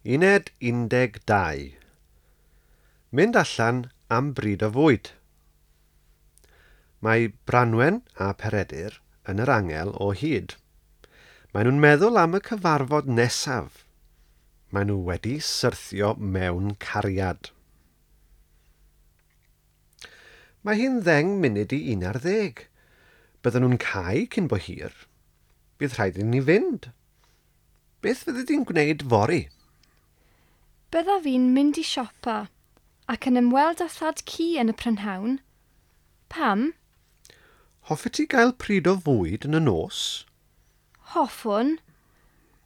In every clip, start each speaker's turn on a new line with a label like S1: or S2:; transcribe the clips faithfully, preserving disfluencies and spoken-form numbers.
S1: Uned undeg dau. Mynd allan am bryd o fwyd. Mae Branwen a Peredur yn yr angel o hyd. Maen nhw'n meddwl am y cyfarfod nesaf. Maen nhw wedi syrthio mewn cariad. Mae hi'n ddeng munud i un ar ddeg. Bydden nhw'n cau cyn bo hir. Bydd rhaid i ni fynd. Beth fyddi di'n gwneud fory?
S2: Byddaf fi'n mynd i siopa ac yn ymweld â thad-cu yn y prynhawn. Pam?
S1: Hoffet ti gael pryd o fwyd yn y nos?
S2: Hoffwn,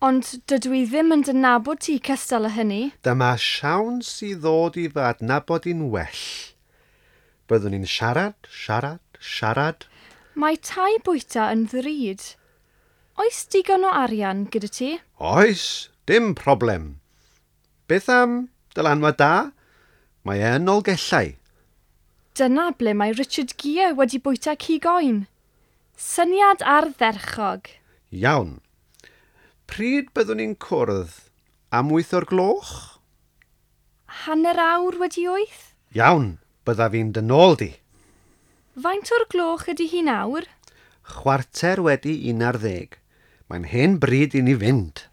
S2: ond dydw i ddim yn dy nabod ti cystal â hynny.
S1: Dyma siawns i ddod i fy adnabod i'n well. Byddwn ni'n siarad, siarad, siarad.
S2: Mae tai bwyta yn ddrud. Oes digon o arian gyda ti?
S1: Oes, dim problem. Beth am dylanwad da? Mae e yn Nolgellau.
S2: Dyna ble mae Richard Gere wedi bwyta cig oen. Syniad ardderchog.
S1: Iawn. Pryd byddwn ni'n cwrdd? Am wyth o'r gloch?
S2: Hanner awr wedi wyth?
S1: Iawn, byddaf fi'n dy nôl di.
S2: Faint o'r gloch ydy hi nawr?
S1: Chwarter wedi un ar ddeg. Mae'n hen bryd i ni fynd.